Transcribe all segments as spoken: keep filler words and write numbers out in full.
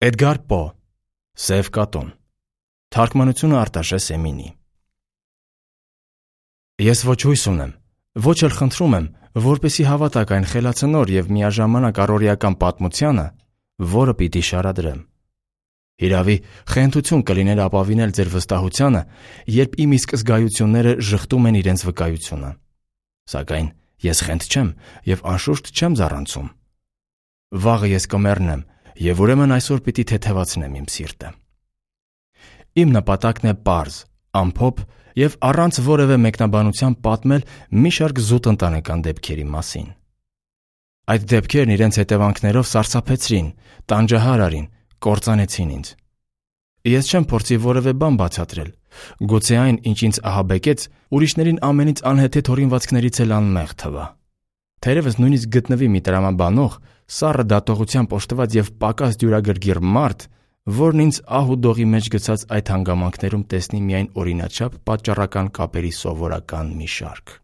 Էդգար Պո Սև կատուն Թարգմանությունը Արտաշե Սեմինի Ես ոչ հույս ունեմ, ոչ էլ խնդրում եմ, որպեսզի հավատաք այն խելացնոր և միաժամանակ առօրեական պատմությանը, որը պիտի շարադրեմ։ Հիրավի, խենթություն կլիներ ապավինել ձեր վստահությանը, երբ իմ իսկ զգայությունները ժխտում են իրենց վկայությունը։ Սակայն ես խենթ չեմ և անշուշտ չեմ զառանցում։ Վաղը ես կմեռնեմ, և ուրեմն այսօր պիտի թեթևացնեմ իմ սիրտը։ Իմ նպատակն է պարզ, ամփոփ և առանց որևէ մեկնաբանության պատմել մի շարք զուտ ընտանեկան դեպքերի մասին։ Այդ դեպքերն իրենց հետևանքներով սարսափեցրին, տանջահար արին, կործանեցին ինձ։ Ես չեմ փորձի որևէ բան բացատրել, գուցե այն, ինչ ինձ ահաբեկեց, ուրիշներին ամենից անհեթեթ հորինվածքներից էլ անմեղ թվա։ Թերևս նույնիսկ գտնվի մի տրամաբանող, սառը դատողությամբ օժտված և պակաս դյուրագրգիռ մարդ, որն ինձ ահ ու դողի մեջ գցած այդ հանգամանքներում տեսնի միայն օրինաչափ պատճառական կապերի սովորական մի շարք։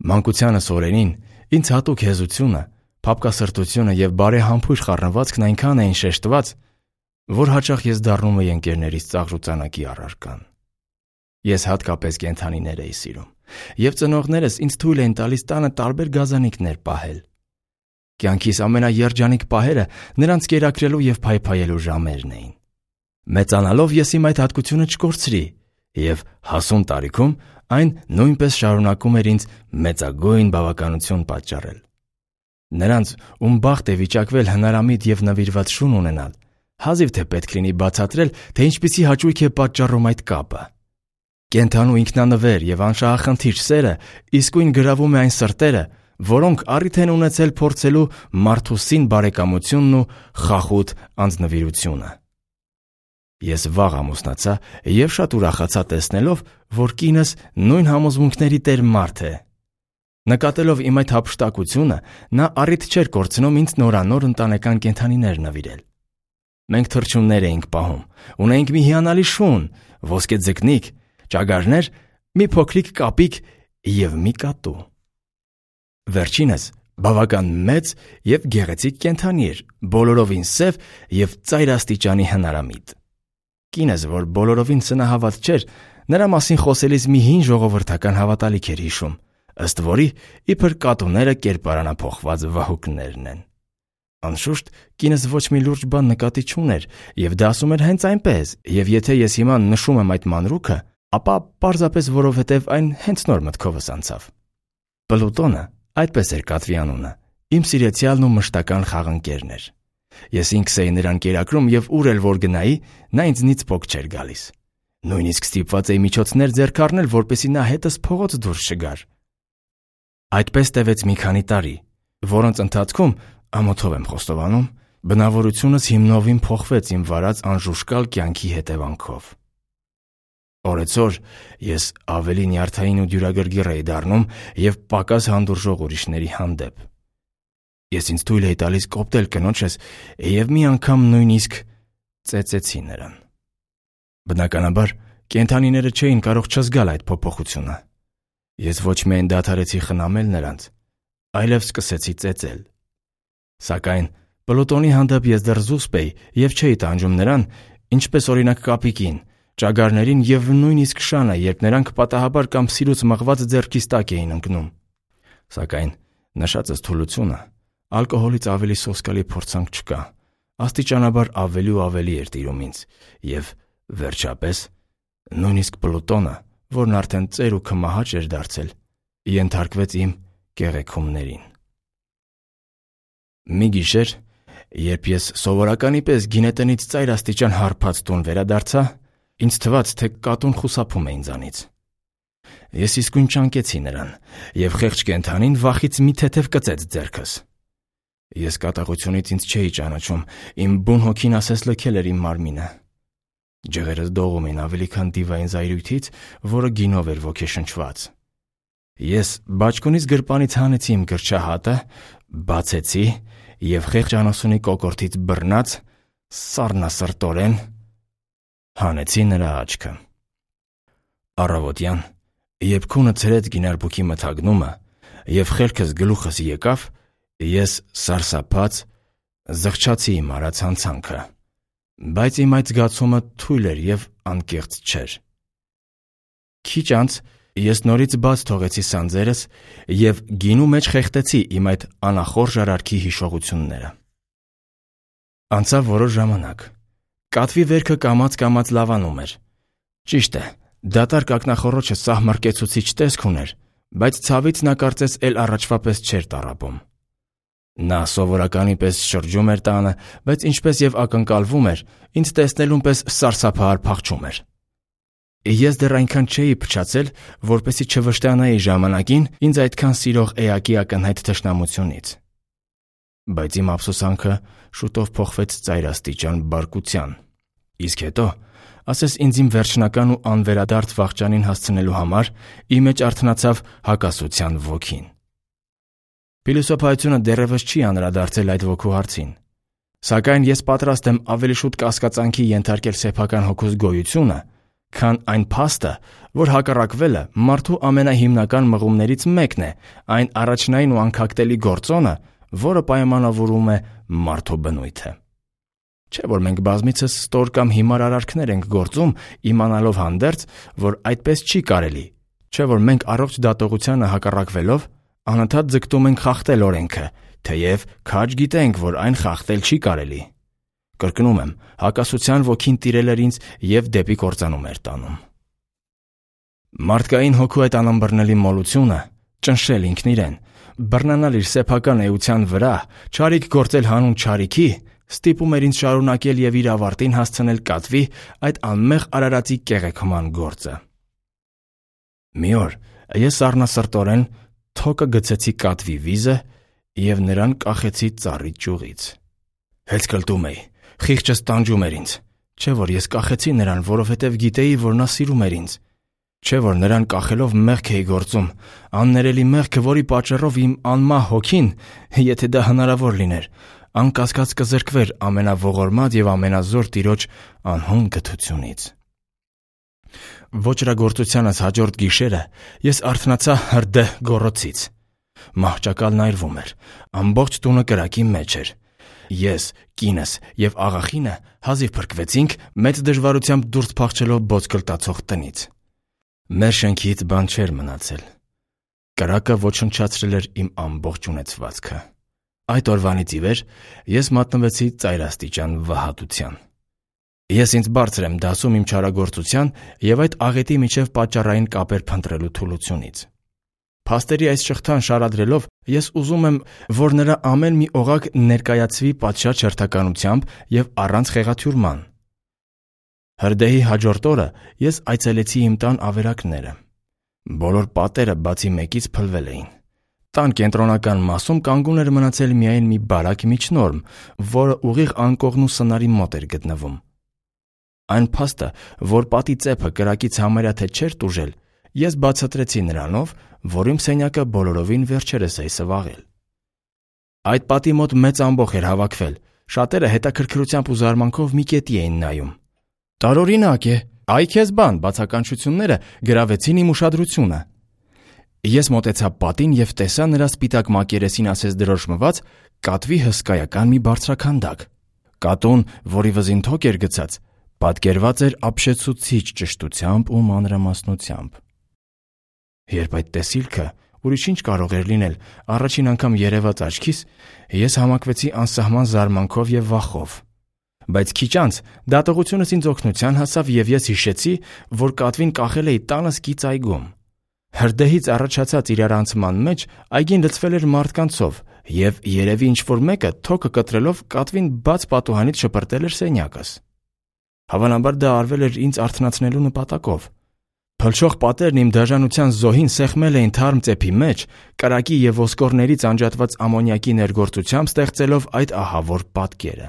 Մանկությանս օրերին ինձ հատուկ հեզությունը, փափկասրտությունը և բարեհամբույր խառնվածքն այնքան էին շեշտված, որ հաճախ ես դառնում էի ընկերներիս ծաղրուծանակի առարկան։ Ես հատկապես կենդանիներ էի սիրում, և ծնողներս ինձ թույլ էին տալիս տանը տարբեր գազանիկներ պահել։ Կյանքիս ամենաերջանիկ պահերը նրանց կերակրելու և փայփայելու ժամերն էին։ Մեծանալով ես իմ այդ հատկությունը չկորցրի, և հասուն տարիքում այն նույնպես շարունակում էր ինձ մեծագույն բավականություն պատճառել։ Նրանց, ում բախտ է վիճակվել հնարամիտ և նվիրված շուն ունենալ, հազիվ թե պետք լինի բացատրել, թե ինչպիսի հաճույք է պատճառում այդ կապը։ Կենդանու ինքնանվեր և անշահախնդիր սերը իսկույն գրավում է այն սրտերը, որոնք առիթ են ունեցել փորձելու մարդու սին բարեկամությունն ու խախուտ անձնվիրությունը։ Ես վաղ ամուսնացա և շատ ուրախացա տեսնելով, որ կինս նույն համոզմունքների տեր մարդ է։ Նկատելով իմ այդ հափշտակությունը, նա առիթ չէր կորցնում ինձ նորանոր ընտանեկան կենդանիներ նվիրել։ Մենք թռչուններ էինք պահում, ունեինք մի հիանալի շուն, ոսկե ձկնիկ, ճագարներ, մի փոքրիկ կապիկ և մի կատու։ Վերջինս բավական մեծ և գեղեցիկ կենդանի էր, բոլորովին սև և ծայր աստիճանի հնարամիտ։ Կինս, որ բոլորովին սնահավատ չէր, նրա մասին խոսելիս մի հին ժողովրդական հավատալիք էր հիշում, ըստ որի իբր կատուները կերպարանափոխված վահուկներն են։ Անշուշտ, կինս ոչ մի լուրջ բան նկատի չուներ և դա ասում էր հենց այնպես, և եթե ես հիմա նշում եմ այդ մանրուքը, ապա պարզապես որովհետև այն հենց նոր մտքովս անցավ։ Պլուտոնը, այդպես էր կատվի անունը, իմ սիրեցյալն ու մշտական խաղընկերն էր։ Ես ինքս էի նրան կերակրում և ուր էլ որ գնայի, նա ինձնից պոկ չէր գալիս։ Նույնիսկ ստիպված էի միջոցներ ձեռք առնել, որպեսզի նա հետս փողոց դուրս չգար։ Այդպես տևեց մի քանի տարի, որոնց ընթացքում, ամոթով եմ խոստովանում, բնավորությունս հիմնովին փոխվեց իմ վարած անժուշկալ կյանքի հետևանքով։ Օրեցօր ես ավելի նյարդային ու դյուրագրգիռ էի դառնում և պակաս հանդուրժող ուրիշների հանդեպ։ Ես ինձ թույլ էի տալիս կոպտել կնոջս և մի անգամ նույնիսկ ծեծեցի նրան։ Բնականաբար, կենդանիները չէին կարող չզգալ այդ փոփոխությունը։ Ես ոչ միայն դադարեցի խնամել նրանց, այլև սկսեցի ծեծել։ Սակայն Պլուտոնի հանդեպ ես դեռ զուսպ էի և չէի տանջում նրան, ինչպես օրինակ կապիկին, ճագարներին և նույնիսկ շանը, երբ նրանք պատահաբար կամ սիրուց մղված ձեռքիս տակ էին ընկնում։ Սակայն նշածս թուլությունը ալկոհոլից ավելի սոսկալի փորձանք չկա, աստիճանաբար ավելի ու ավելի էր տիրում ինձ, և վերջապես նույնիսկ Պլուտոնը, որն արդեն ծեր ու քմահաճ էր դարձել, ենթարկվեց իմ կեղեքումներին։ Մի գիշեր, երբ ես սովորականի պես գինետնից ծայրաստիճան հարբած տուն վերադարձա, ինձ թվաց, թե կատուն խուսափում է ինձանից։ Ես իսկույն ճանկեցի նրան, և խեղճ կենդանին վախից մի թեթև կծեց ձեռքս։ Ես կատաղությունից ինձ չէի ճանաչում, իմ բուն հոգին ասես լքել էր իմ մարմինը։ Ջղերս դողում էին ավելի քան դիվային զայրույթից, որը գինով էր ոգեշնչված։ Ես բաճկոնից գրպանից հանեցի իմ գրչահատը, բացեցի և խեղճ անասունի կոկորդից բռնած, սառնասրտորեն հանեցի նրա աչքը։ Առավոտյան, երբ քունը ցրեց գինարբուկի մթագնումը և խելքս գլուխս եկավ, ես սարսափած Զղջացի իմ արած հանցանքը, բայց իմ այդ զգացումը թույլ էր և անկեղծ չէր։ Քիչ անց ես նորից բաց թողեցի սանձերս և գինու մեջ խեղդեցի իմ այդ անախորժ արարքի հիշողությունները։ Անցավ որոշ ժամանակ։ Կատվի վերքը կամաց-կամաց լավանում էր։ Ճիշտ է, դատարկ ակնախոռոչը սահմռկեցուցիչ տեսք ուներ, բայց ցավից նա կարծես էլ առաջվա պես չէր տառապում։ Նա սովորականի պես շրջում էր տանը, բայց ինչպես և ակնկալվում էր, ինձ տեսնելուն պես սարսափահար փախչում էր։ Ես դեռ այնքան չէի փչացել, որպեսզի չվշտանայի ժամանակին ինձ այդքան սիրող էակի ակնհայտ թշնամությունից։ Բայց իմ ափսոսանքը շուտով փոխվեց ծայրաստիճան բարկության, իսկ հետո, ասես ինձ իմ վերջնական ու անվերադարձ վախճանին հասցնելու համար, իմ մեջ արթնացավ հակասության ոգին։ Փիլիսոփայությունը դեռևս չի անդրադարձել այդ ոգու հարցին, սակայն ես պատրաստ եմ ավելի շուտ կասկածանքի ենթարկել սեփական հոգուս գոյությունը, քան այն փաստը, որ հակառակվելը մարդու ամենահիմնական մղումներից մեկն է, այն առաջնային ու անքակտելի գործոնը, որը պայմանավորում է մարդու բնույթը։ Չէ՞ որ մենք բազմիցս ստոր կամ հիմար արարքներ ենք գործում, իմանալով հանդերձ, որ այդպես չի կարելի, չէ՞ որ մենք առողջ դատողությանը հակառակվելով անընդհատ ձգտում ենք խախտել օրենքը, թեև քաջ գիտենք, որ այն խախտել չի կարելի։ Կրկնում եմ, հակասության ոգին տիրել էր ինձ և դեպի կործանում էր տանում։ Մարդկային հոգու այդ անըմբռնելի մոլությունը, ճնշել ինքն իրեն, բռնանալ իր սեփական էության վրա, չարիք գործել հանուն չարիքի, ստիպում էր ինձ շարունակել և իր ավարտին հասցնել կատվի այդ անմեղ արարածի կեղեքման գործը։ Մի օր ես սառնասրտորեն թոկը գցեցի կատվի վիզը և նրան կախեցի ծառի ճյուղից։ Հեծկլտում էի, խիղճս տանջում էր ինձ, չէ՞ որ ես կախեցի նրան, որովհետև գիտեի, որ նա սիրում էր ինձ, չէ՞ որ նրան կախելով մեղք էի գործում, աններելի մեղքը, որի պատճառով իմ անմահ հոգին, եթե դա հնարավոր լիներ, անկասկած կզրկվեր ամենաողորմած և ամենազոր Տիրոջ անհուն գթությունից։ Ոճրագործությանս հաջորդ գիշերը ես արթնացա հրդեհ գոռոցից։ Մահճակալն այրվում էր, ամբողջ տունը կրակի մեջ էր։ Ես, կինս և աղախինը հազիվ փրկվեցինք մեծ դժվարությամբ դուրս փախչելով բոցկլտացող տնից։ Մեր շենքից բան չէր մնացել։ Կրակը ոչնչացրել էր իմ ամբողջ ունեցվածքը։ Այդ օրվանից ի վեր ես մատնվեցի ծայրաստիճան վհատության։ Ես ինձ բարձր եմ դասում իմ չարագործության և այդ աղետի միջև պատճառային կապեր փնտրելու թուլությունից։ Փաստերի այս շղթան շարադրելով ես ուզում եմ, որ նրա ամեն մի օղակ ներկայացվի պատշաճ հերթականությամբ և առանց խեղաթյուրման։ Հրդեհի հաջորդ օրը ես այցելեցի իմ տան ավերակները։ Բոլոր պատերը բացի մեկից փլվել էին։ Տան կենտրոնական մասում կանգուն էր մնացել միայն մի բարակ միջնորմ, որը ուղիղ անկողն ու սնարի մոտ էր գտնվում։ Այն փաստը, որ պատի ծեփը կրակից համարյա թե չէր տուժել, ես բացատրեցի նրանով, որ իմ սենյակը բոլորովին վերջերս էի սվաղել։ Այդ պատի մոտ մեծ ամբոխ էր հավաքվել, շատերը հետաքրքրությամբ ու զարմանքով մի կետի էին նայում։ Տարօրինակ է, այ քեզ բան, բացականչությունները գրավեցին իմ ուշադրությունը։ Ես մոտեցա պատին և տեսա նրա սպիտակ մակերեսին ասես դրոշմված կատվի հսկայական մի բարձրաքանդակ։ Կատուն, որի վզին թոկ էր գցած, պատկերված էր ապշեցուցիչ ճշտությամբ ու մանրամասնությամբ։ Երբ այդ տեսիլքը, ուրիշ ինչ կարող էր լինել, առաջին անգամ երևաց աչքիս, ես համակվեցի անսահման զարմանքով և վախով։ Բայց քիչ անց դատողությունս ինձ օգնության հասավ և ես հիշեցի, որ կատվին կախել էի տանս կից այգում։ Հրդեհից առաջացած իրարանցման մեջ այգին լցվել էր մարդկանցով և երևի ինչ-որ մեկը թոկը կտրելով կատվին բաց պատուհանից շպրտել էր սենյակս։ Հավանաբար դա արվել էր ինձ արթնացնելու նպատակով։ Փլչող պատերն իմ դաժանության զոհին սեղմել էին թարմ ծեփի մեջ, կրակի և ոսկորներից անջատված ամոնիակի ներգործությամբ ստեղծելով այդ ահավոր պատկերը։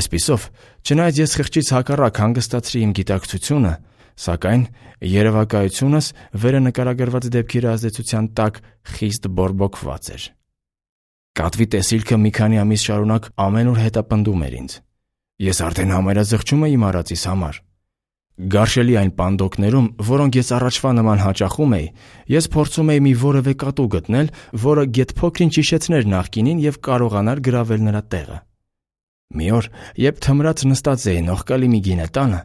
Այսպիսով, չնայած ես խղճից հակառակ հանգստացրի իմ գիտակցությունը, սակայն երևակայությունս վերը նկարագրված դեպքերի ազդեցության տակ խիստ բորբոքված էր։ Կատվի տեսիլքը մի քանի ամիս շարունակ ամենուր հետապնդում էր ինձ։ Ես արդեն համարյա զղջում էի իմ արածիս համար։ Գարշելի այն պանդոկներում, որոնք ես առաջվա նման հաճախում էի, ես փորձում էի մի որևէ կատու գտնել, որը գեթ փոքրինչ հիշեցներ նախկինին և կարողանար գրավել նրա տեղը։ Մի օր, երբ թմրած նստած էի նողկալի մի գինետանը,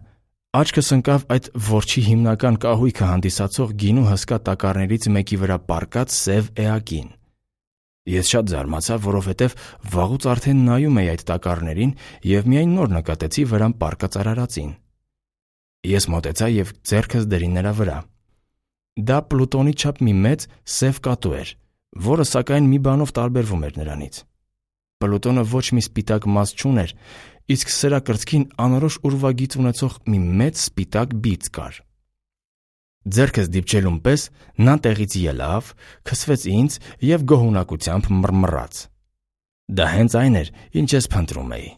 աչքս ընկավ այդ որջի հիմնական կահույքը հանդիսացող գինու հսկա տակառներից մեկի վրա պառկած սև էակին։ Ես շատ զարմացա, որովհետև վաղուց արդեն նայում էի այդ տակառներին և միայն նոր նկատեցի վրան պառկած արարածին։ Ես մոտեցա և ձեռքս դրի նրա վրա։ Դա Պլուտոնի չափ մի մեծ սև կատու էր, որը սակայն մի բանով տարբերվում էր նրանից։ Պլուտոնը ոչ մի սպիտակ մազ չուներ, իսկ սրա կրծքին անորոշ ուրվագիծ ունեցող մի մեծ սպիտակ բիծ կար։ Ձեռքս դիպչելուն պես նա տեղից ելավ, քսվեց ինձ և գոհունակությամբ մռմռաց։ Դա հենց այն էր, ինչ ես փնտրում էի։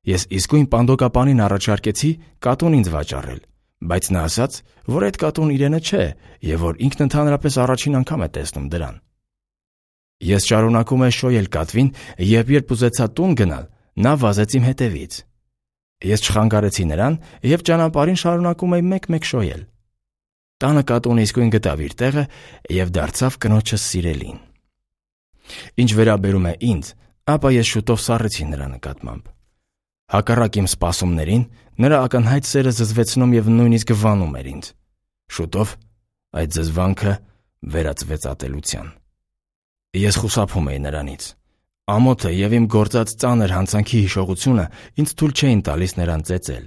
Ես իսկույն պանդոկապանին առաջարկեցի կատուն ինձ վաճառել, բայց նա ասաց, որ այդ կատուն իրենը չէ և որ ինքն ընդհանրապես առաջին անգամ է տեսնում դրան։ Ես շարունակում էի շոյել կատվին, և երբ ուզեցա տուն գնալ, նա վազեց իմ հետևից։ Ես չխանգարեցի նրան և ճանապարհին շարունակում էի մեկ-մեկ շոյել։ Տանը կատուն իսկույն գտավ իր տեղը և դարձավ կնոջս սիրելին։ Ինչ վերաբերում է ինձ, ապա ես շուտով սառեցի նրա նկատմամբ։ Հակառակ իմ սպասումներին, նրա ակնհայտ սերը զզվեցնում և նույնիսկ վանում էր ինձ։ Շուտով այդ զզվանքը վերածվեց ատելության։ Ես խուսափում էի նրանից։ Ամոթը և իմ գործած ծանր հանցանքի հիշողությունը ինձ թույլ չէին տալիս նրան ծեծել։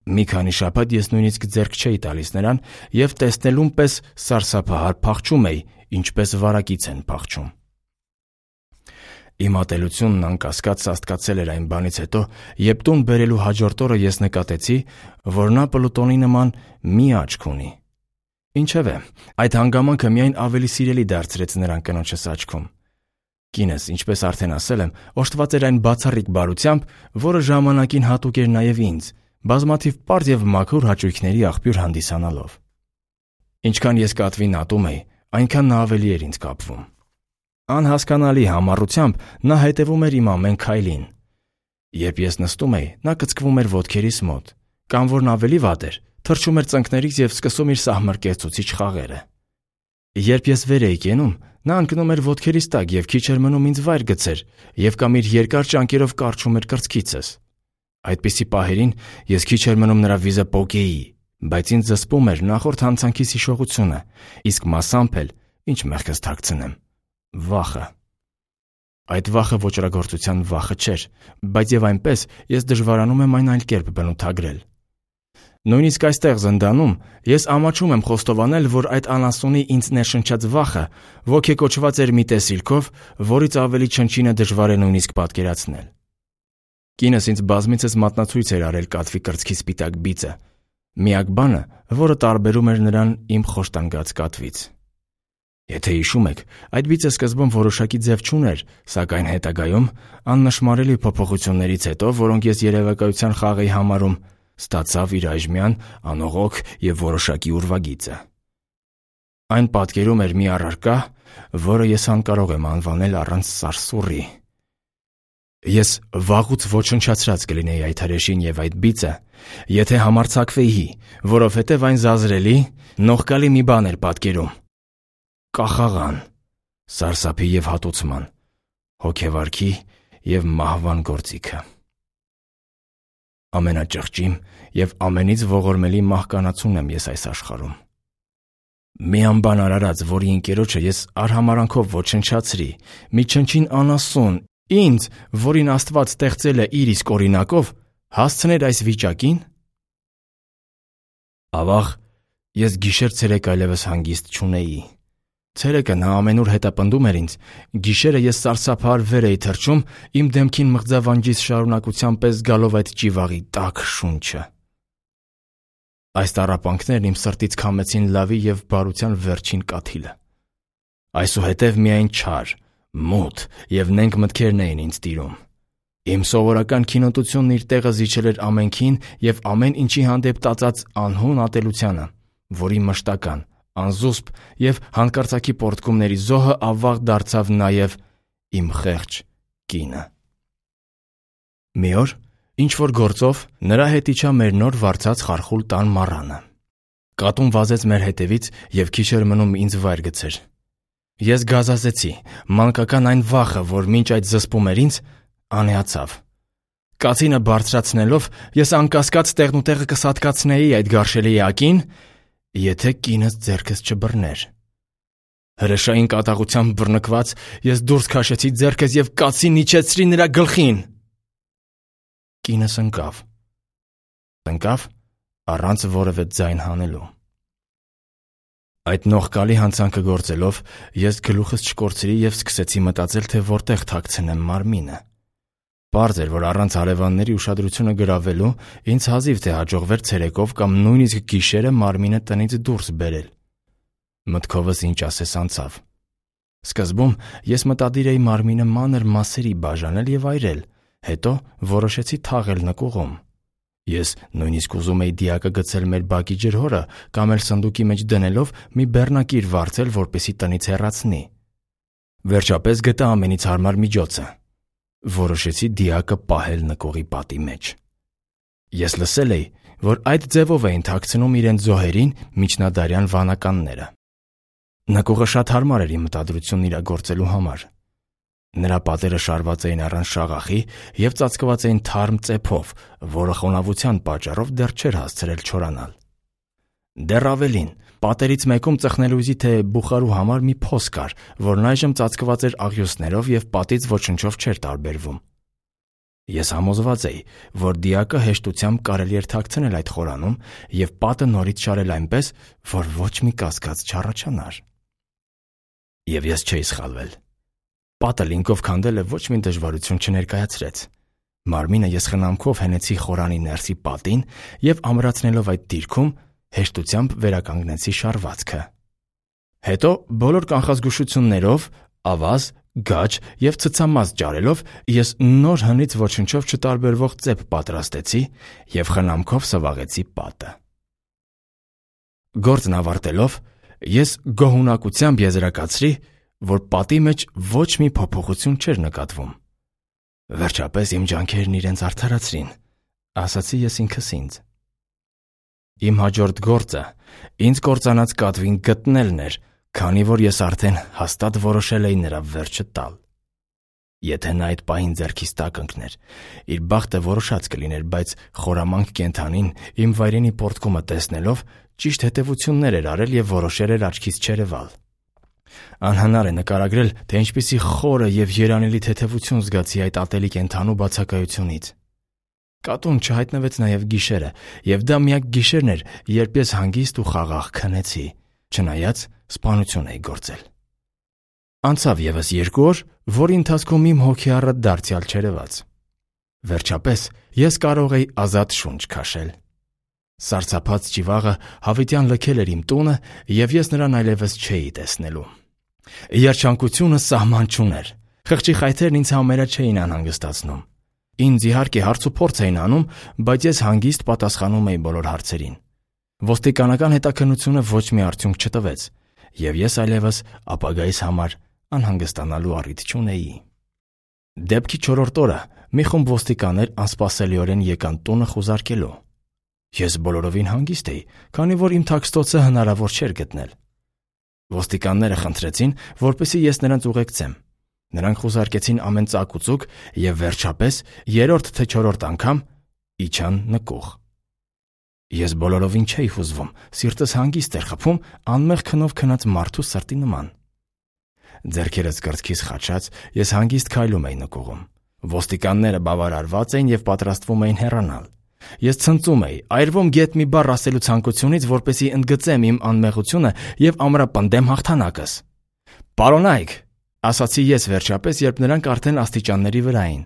Մի քանի շաբաթ ես նույնիսկ ձեռք չէի տալիս նրան և տեսնելուն պես սարսափահար փախչում էի, ինչպես վարակից են փախչում։ Իմ ատելությունն անկասկած սաստկացել էր այն բանից հետո, երբ տուն բերելու հաջորդ օրը ես նկատեցի, որ նա Պլուտոնի նման մի աչք ունի։ Ինչևէ, այդ հանգամանքը միայն ավելի սիրելի դարձրեց նրան կնոջս աչքում։ Կինս, ինչպես արդեն ասել եմ, օժտված էր այն բացառիկ բարությամբ, որը ժամանակին հատուկ էր նաև ինձ, բազմաթիվ պարզ և մաքուր հաճույքների աղբյուր հանդիսանալով։ Ինչքան ես կատվին ատում էի, այնքան նա ավելի էր ինձ կապվում։ Անհասկանալի համառությամբ նա հետևում էր իմ ամեն քայլին։ Երբ ես նստում էի, նա կծկվում էր ոտքերիս մոտ, կամ որն ավելի վատ էր, թռչում էր ծնկներից և սկսում իր սահմռկեցուցիչ խաղերը։ Երբ ես վեր էի կենում, նա ընկնում էր ոտքերիս տակ և քիչ էր մնում ինձ վայր գցեր և կամ իր երկար ճանկերով կարչում էր կրծքիցս։ Այդպիսի պահերին ես քիչ էր մնում նրա վիզը պոկեի, բայց ինձ զսպում էր նախորդ հանցանքիս հիշողությունը, իսկ մասամբ էլ, ինչ մեղքս թաքցնեմ, վախը։ Այդ վախը ոճրագործության վախը չէր, բայց և այնպես ես դժվարանում եմ այն այլ կերպ բնութագրել։ Նույնիսկ այստեղ զնդանում ես ամաչում եմ խոստովանել, որ այդ անասունի ինձ ներշնչած վախը ոգեկոչված էր մի տեսիլքով, որից ավելի չնչինը դժվար է նույնիսկ պատկերացնել։ Կինս ինձ բազմիցս մատնացույց էր արել կատվի կրծքի սպիտակ բիծը, միակ բանը, որը տարբերում էր նրան իմ խոշտանգած կատվից։ Եթե հիշում եք, այդ բիծը սկզբում որոշակի ձև չուներ, սակայն հետագայում, աննշմարելի փոփոխություններից հետո, որոնք ես երևակայության խաղ էի համարում, ստացավ իր այժմյան անողոք և որոշակի ուրվագիծը։ Այն պատկերում էր մի առարկա, որը ես անկարող եմ անվանել առանց սարսուռի։ Ես վաղուց ոչնչացրած կլինեի այդ հրեշին և այդ բիծը, եթե համարձակվեի, որովհետև այն զազրելի, նողկալի մի բան էր պատկերում։ Կախաղան, սարսափի և հատուցման, հոգեվարքի և մահվան գործիքը։ Ամենաճղճիմ և ամենից ողորմելի մահկանացուն եմ ես այս աշխարհում։ Մի անբան արարած, որի ընկերոջը ես արհամարանքով ոչնչացրի, մի չնչին անասուն, ինձ, որին Աստված ստեղծել է իր իսկ օրինակով, հասցներ այս վիճակին։ Ավաղ, ես գիշեր-ցերեկ այլևս հանգիստ չունեի։ Ցերեկը նա ամենուր հետապնդում էր ինձ, գիշերը ես սարսափահար վեր էի թռչում, իմ դեմքին մղձավանջիս շարունակության պես զգալով այդ ճիվաղի տաք շունչը։ Այս տառապանքներն իմ սրտից քամեցին լավի և բարության վերջին կաթիլը։ Այսուհետև միայն չար, մութ և նենգ մտքերն էին ինձ տիրում։ Իմ սովորական քինոտությունն իր տեղը զիջել էր ամենքին և ամեն ինչի հանդեպ տածած անհուն ատելությանը, որի մշտական, անզուսպ և հանկարծակի պոռթկումների զոհը ավաղ դարձավ նաև իմ խեղճ կինը։ Մի օր, ինչ-որ գործով նրա հետ իջա մեր նոր վարձած խարխուլ տան մառանը։ Կատուն վազեց մեր հետևից և քիչ էր մնում ինձ վայր գցեր։ Ես գազազեցի, մանկական այն վախը, որ մինչ այդ զսպում էր ինձ, անեացավ։ Կացինը բարձրացնելով, ես անկասկած տեղնուտեղը կսատկացնեի այդ գարշելի էակին, եթե կինս ձեռքս չբռներ։ Հրեշային կատաղությամբ բռնկված, ես դուրս քաշեցի ձեռքս և կացին իջեցրի նրա գլխին։ Կինս ընկավ։ Ընկավ առանց որևէ ձայն հանելու։ Այդ նողկալի հանցանքը գործելով, ես գլուխս չկորցրի և սկսեցի մտածել, թե որտեղ թաքցնեմ մարմինը։ Պարզ էր, որ առանց հարևանների ուշադրությունը գրավելու, ինձ հազիվ թե հաջողվեր ցերեկով կամ նույնիսկ գիշերը մարմինը տնից դուրս բերել։ Մտքովս ինչ ասես անցավ։ Սկզբում ես մտադիր էի մարմինը մանր մասերի բաժանել և այրել, հետո որոշեցի թաղել նկուղում։ Ես նույնիսկ ուզում էի դիակը գցել մեր բակի ջրհորը կամ էլ սնդուկի մեջ դնելով մի բեռնակիր վարձել, որպեսզի տնից հեռացնի։ Վերջապես գտա ամենից հարմար միջոցը։ Որոշեցի դիակը պահել նկուղի պատի մեջ։ Ես լսել էի, որ այդ ձևով էին թաքցնում իրենց զոհերին միջնադարյան վանականները։ Նկուղը շատ հարմար էր իմ մտադրությունն իրագործելու համար։ Նրա պատերը շարված էին առանց շաղախի և ծածկված էին թարմ ծեփով, որը խոնավության պատճառով դեռ չէր հասցրել չորանալ։ Դեռ ավելին, պատերից մեկում ծխնելույզի թե բուխարու համար մի փոս կար, որն այժմ ծածկված էր աղյուսներով և պատից ոչնչով չէր տարբերվում։ Ես համոզված էի, որ դիակը հեշտությամբ կարելի էր թաքցնել այդ խորանում և պատը նորից շարել այնպես, որ ոչ մի կասկած չառաջանար։ Եվ ես չէի սխալվել։ Պատը լինկով քանդելը ոչ մի դժվարություն չներկայացրեց։ Մարմինը ես խնամքով հենեցի խորանի ներսի պատին և ամրացնելով այդ դիրքում հեշտությամբ վերականգնեցի շարվածքը։ Հետո բոլոր կանխազգուշություններով, ավազ, գաջ և ցցամազ ջարելով ես նոր հնից ոչնչով չտարբերվող ծեփ պատրաստեցի և խնամքով սվաղեցի պատը։ Գործն ավարտելով, ես գոհունակությամբ եզրակացրի, որ պատի մեջ ոչ մի փոփոխություն չէր նկատվում։ Վերջապես իմ ջանքերն իրենց արդարացրին, ասացի ես ինքս ինձ։ Իմ հաջորդ գործը ինձ կործանած կատվին գտնելն էր, քանի որ ես արդեն հաստատ որոշել էի նրա վերջը տալ։ Եթե նա այդ պահին ձեռքիս տակ ընկներ, իր բախտը որոշած կլիներ, բայց խորամանկ կենդանին իմ վայրենի պոռթկումը տեսնելով ճիշտ հետևություններ էր արել և որոշել էր աչքից չերևալ։ Անհնար է նկարագրել, թե ինչպիսի խորը և երանելի թեթևություն զգացի այդ ատելի կենդանու բացակայությունից։ Կատուն չհայտնվեց նաև գիշերը, և դա միակ գիշերն էր, երբ ես հանգիստ ու խաղաղ քնեցի, չնայած սպանություն էի գործել։ Անցավ ևս երկու օր, որի ընթացքում իմ հոգեառը դարձյալ չերևաց։ Վերջապես ես կարող էի ազատ շունչ քաշել։ Սարսափած ճիվաղը հավիտյան լքել էր իմ տունը, և ես նրան այլևս չէի տեսնելու։ Երջանկությունը սահման չուներ։ Խղճի խայթերն ինձ համարյա չէին անհանգստացնում։ Ինձ իհարկե հարց ու փորձ էին անում, բայց ես հանգիստ պատասխանում էի բոլոր հարցերին։ Ոստիկանական հետաքննությունը ոչ մի արդյունք չտվեց, և ես այլևս ապագայիս համար անհանգստանալու առիթ չունեի։ Դեպքի չորրորդ օրը մի խումբ ոստիկաններ անսպասելիորեն եկան տունը խուզարկելու։ Ես բոլորովին հանգիստ էի, քանի որ իմ թաքստոցը հնարավոր չէր գտնել։ Ոստիկանները խնդրեցին, որպեսզի ես նրանց ուղեկցեմ։ Նրանք խուզարկեցին ամեն ծակ ու ծուկ և վերջապես երրորդ թե չորրորդ անգամ իջան նկուղ։ Ես բոլորովին չէի հուզվում, սիրտս հանգիստ էր խփում անմեղ քնով քնած մարդու սրտի նման։ Ձեռքերս կրծքիս խաչած, ես հանգիստ քայլում էի նկուղում։ Ոստիկանները բավարարված էին և պատրաստվում էին հեռանալ։ Ես ցնծում էի, այրվում գեթ մի բառ ասելու ցանկությունից, որպեսզի ընդգծեմ իմ անմեղությունը և ամրապնդեմ հաղթանակս։ «Պարոնայք», ասացի ես վերջապես, երբ նրանք արդեն աստիճանների վրա էին,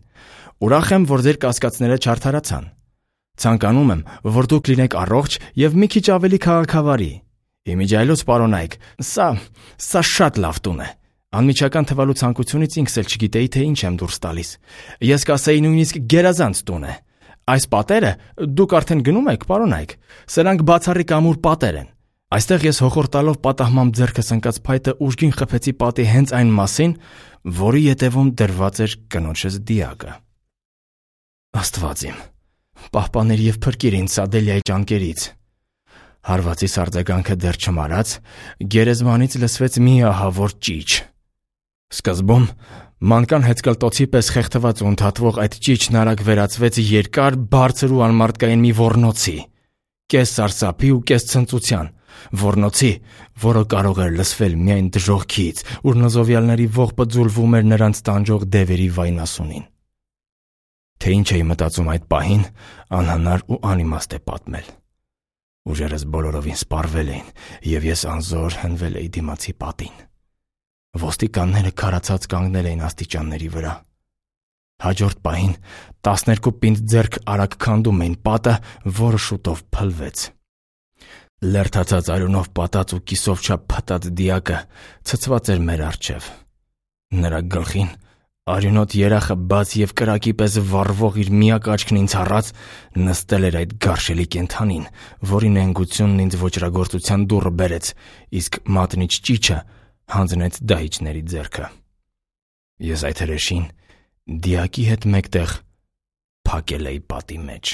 «ուրախ եմ, որ ձեր կասկածները չարդարացան։ Ցանկանում եմ, որ դուք լինեք առողջ և մի քիչ ավելի քաղաքավարի։ Իմիջիայլոց, պարոնայք, սա, սա շատ լավ տուն է։ Անմիջական թվալու ցանկությունից ինքս էլ չգիտեի, թե ինչ եմ դուրս տալիս։ Ես կասեի նույնիսկ գերազանց տուն է։ Այս պատերը դուք արդեն գնում եք, պարոնայք։ Սրանք բացառիկ ամուր պատեր են։ Այստեղ ես հոխորտալով պատահմամբ ձեռքս ընկած փայտը ուժգին խփեցի պատի հենց այն մասին, որի ետևում դրված էր կնոջս դիակը։ Աստված իմ, Պահպաներ եւ փրկիր ինձ Սադելիայի ճանկերից։ Հարվածի արձագանքը դեռ չմարած, գերեզմանից լսվեց մի ահավոր ճիչ։ Սկզբում մանկան հեծկլտոցի պես խեղդված ու ընդհատվող այդ ճիչն արագ վերածվեց երկար, բարձր ու անմարդկային մի ոռնոցի, կես սարսափի ու կես ցնծության, ոռնոցի, որը կարող էր լսվել միայն դժոխքից, ուր նզովյալների ողբը ձուլվում էր նրանց տանջող դևերի վայնասունին։ Թե ինչ էի մտածում այդ պահին, անհնար ու անիմաստ է պատմել։ Ուժերս բոլորովին սպառվել էին, եւ ես անզոր հնվել էի դիմացի պատին։ Ոստիկանները քարացած կանգնել էին աստիճանների վրա։ Հաջորդ պահին տասներկու պինդ ձեռք արագ քանդում էին պատը, որը շուտով փլվեց։ Լերթացած արյունով պատած ու կիսով չափ փտած դիակը ցցված էր մեր առջև։ Նրա գլխին արյունոտ երախը բաց եւ կրակի պես վառվող իր միակ աչքն ինձ առած նստել էր այդ գարշելի կենդանին, որի նենգությունն ինձ ոճրագործության դուռը բերեց, իսկ մատնիչ ճիչը հանձնեց դահիճների ձեռքը։ Ես այդ հրեշին դիակի հետ մեկտեղ փակել էի պատի մեջ։